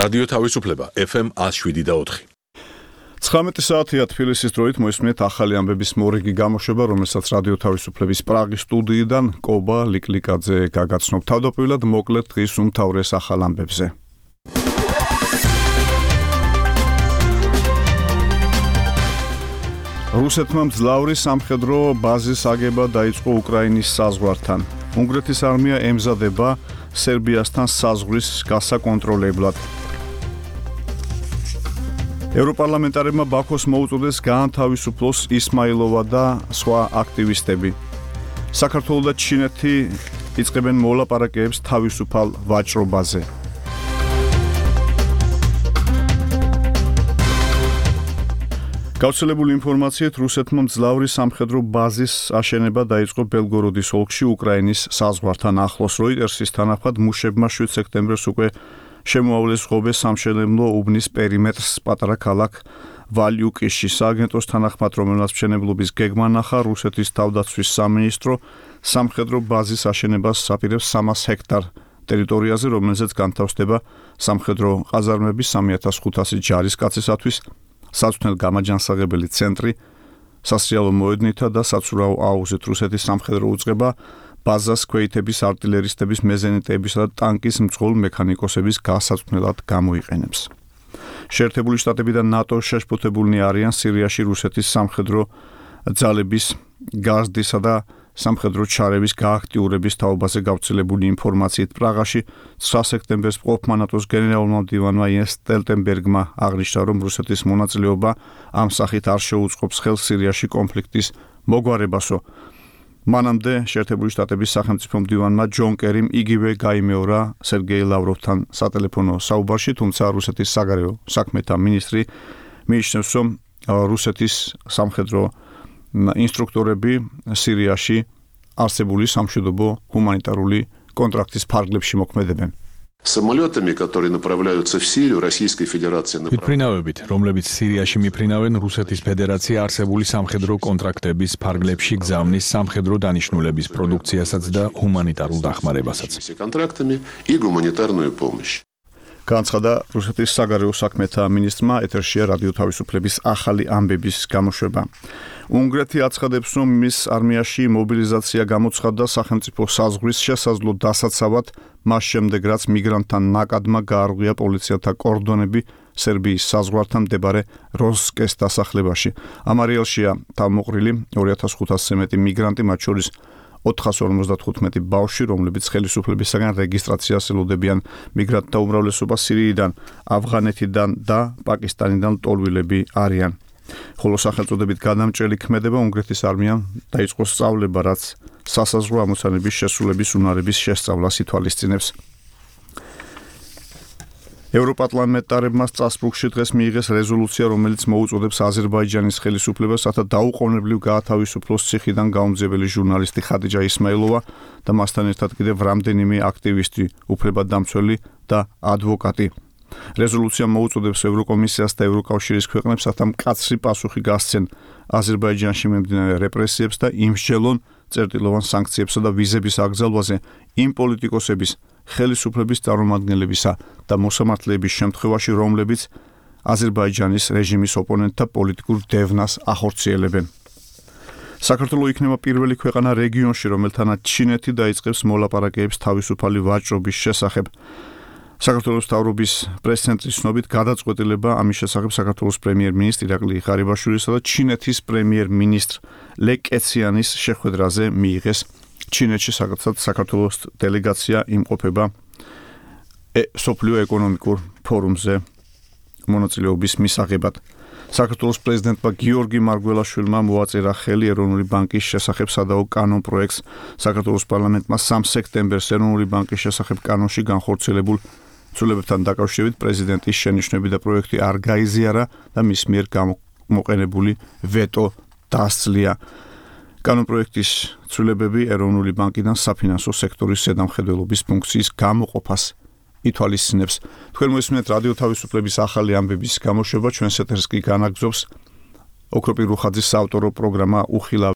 რადიო თავისუფლება FM 107.4. 19 საათია თბილისის დროით მოისმენთ ახალი ამბების მორიგი გამოშვება, რომელსაც რადიო თავისუფლების პრაღის სტუდიიდან კობა ლიკლიკაძე გაგაცნობ. თავდაპირველად მოკლედ დღის უმთავრეს ახალ ამბებზე. რუსეთმა მძლავრი სამხედრო ბაზის აგება დაიწყო უკრაინის საზღვართან. უნგრეთის არმია ემზადება სერბიასთან საზღვრის გასაკონტროლებლად. ევროპარლამენტარებმა ბაქოს მოუწოდეს გაანთავისუფლოს ისმაილოვა და სხვა აქტივისტები. საქართველო და ჩინეთი იწყებენ მოლაპარაკებებს თავისუფალ ვაჭრობაზე. გავრცელებული ინფორმაციით რუსეთმა მძლავრი სამხედრო ბაზის აშენება დაიწყო ბელგოროდის ოლქში უკრაინის საზღვართან ახლოს. როიტერსის თანახმად მუშებმა 7 სექტემბერს უკვე შემოავლეს ღობეს სამშენებლო უბნის პერიმეტრს პატარა ქალაქ ვალიუკიში. სააგენტოს თანახმად, რომელსაც მშენებლობის გეგმა ნახა, რუსეთის თავდაცვის სამინისტრო სამხედრო ბაზის აშენებას აპირებს 300 ჰექტარ ტერიტორიაზე, რომელზეც განთავსდება სამხედრო ყაზარმები 3500 ჯარისკაცისათვის, საცვნელ გამაჯანსაღებელი ცენტრი, სასრიალო მოედნითა და საცურაო აუზით. რუსეთის სამხედრო უწყება ბაზას ქვეითების არტილერისტების, მეზენიტებისა და ტანკის მძღოლ მექანიკოსების გასაცვნელად გამოიყენებს. შეერთებული შტატები და ნატო შეშფოთებულნი არიან სირიაში რუსეთის სამხედრო ძალების გაზრდისა და სამხედრო ჩარევის გააქტიურების თაობაზე გავრცელებული ინფორმაციით პრაღაში 9 სექტემბერს მყოფმა ნატოს გენერალურმა მდივანმა იენს სტოლტენბერგმა აღნიშნა, რომ რუსეთის მონაწილეობა ამ სახით არ შეუწყობს ხელს სირიაში კონფლიქტის მოგვარებასო. მანამდე შეერთებული შტატების სახელმწიფო მდივანმა ჯონ კერიმ იგივე გაიმეორა სერგეი ლავროვთან სატელეფონო საუბარში, თუმცა რუსეთის საგარეო საქმეთა მინისტრი მიიჩნევს, რომ რუსეთის სამხედრო ინსტრუქტორები სირიაში არსებული სამშვიდობო ჰუმანიტარული კონტრაქტის ფარგლებში მოქმედებენ. Самолетами, которые направляются в Сирию, Российской Федерации направляют. რომლებიც სირიაში მიფრინავენ რუსეთის ფედერაცია არსებული სამხედრო კონტრაქტების ფარგლებში გზავნის სამხედრო დანიშნულების პროდუქციასაც და ჰუმანიტარულ დახმარებასაც. контрактами и гуманитарную помощь. განცხადა რუსეთის საგარეო საქმეთა მინისტრმა. ეთერშია რადიო თავისუფლების ახალი ამბების გამოშვება. უნგრეთი აცხადებს, რომ მის არმიაში მობილიზაცია გამოცხადდა სახელმწიფო საზღვრის შესაძლო დასაცავად, მას შემდეგ რაც მიგრანტთა ნაკადმა გაარღვია პოლიციათა კორდონები სერბიის საზღვართან მდებარე როსკეს დასახლებაში. ამ არეალშია თავმოყრილი 2500-ზე მეტი მიგრანტი, მათ შორის 455 ბავშვი, რომლებიც ხელისუფლებისაგან რეგისტრაციას ელოდებიან. მიგრანტთა უმრავლესობა სირიიდან, ავღანეთიდან და პაკისტანიდან ლტოლვილები არიან. ხოლო სახელწოდებით გადამჭრელი ქმედება უნგრეთის არმიამ დაიწყო სწავლება, რაც სასაზღვრო ამოცანების შესრულების უნარების შესწავლას ითვალისწინებს. ევროპარლამენტარებმა სტრასბურგში დღეს მიიღეს რეზოლუცია, რომელიც მოუწოდებს აზერბაიჯანის ხელისუფლებას, რათა დაუყოვნებლივ გაათავისუფლოს ციხიდან გაუმძეველი ჟურნალისტი ხადიჯა ისმაილოვა და მასთან ერთად კიდევ რამდენიმე აქტივისტი, უფლებადამცველი და ადვოკატი. რეზოლუცია მოუწოდებს ევროკომისიას და ევროკავშირის ქვეყნებს, რათა მკაცრი პასუხი გასცენ აზერბაიჯანში მიმდინარე რეპრესიებს და იმსჯელონ წერტილოვან სანქციებსა და ვიზების აკრძალვაზე იმ პოლიტიკოსების, ხელისუფლების წარმომადგენლებისა და მოსამართლეების შემთხვევაში, რომლებიც აზერბაიჯანის რეჟიმის ოპონენტთა პოლიტიკურ დევნას ახორციელებენ. საქართველო იქნება პირველი ქვეყანა რეგიონში, რომელთანაც ჩინეთი დაიწყებს მოლაპარაკებებს თავისუფალი ვაჭრობის შესახებ. საქართველოს მთავრობის პრეს-ცენტრის ცნობით გადაწყვეტილება ამის შესახებ საქართველოს პრემიერ-მინისტრ ირაკლი ღარიბაშვილისა და ჩინეთის პრემიერ-მინისტრ ლე კეციანის შეხვედრაზე მიიღეს. ჩინეთში საქართველოს დელეგაცია იმყოფება სოფლიო ეკონომიკურ ფორუმზე მონაწილეობის მისაღებად. საქართველოს პრეზიდენტმა გიორგი მარგველაშვილმა მოაწერა ხელი ეროვნული ბანკის შესახებ სადაო კანონ პროექტს. საქართველოს პარლამენტმა 3 სექტემბერს ეროვნული ბანკის შესახებ კანონში განხორციელებულ ცვლილებებთან დაკავშირებით პრეზიდენტის შენიშვნები და პროექტი არ გაიზიარა და მის მიერ გამოყენებული ვეტო დასძლია. კანონპროექტის ცვლილებები ეროვნული ბანკიდან საფინანსო სექტორის ზედამხედველობის ფუნქციის გამოყოფას ითვალისწინებს. თქვენ მოისმენთ რადიო თავისუფლების ახალი ამბების გამოშვება, ჩვენს ეთერს კი განაგრძობს ოქროპირ რუხაძის საავტორო პროგრამა უხილავ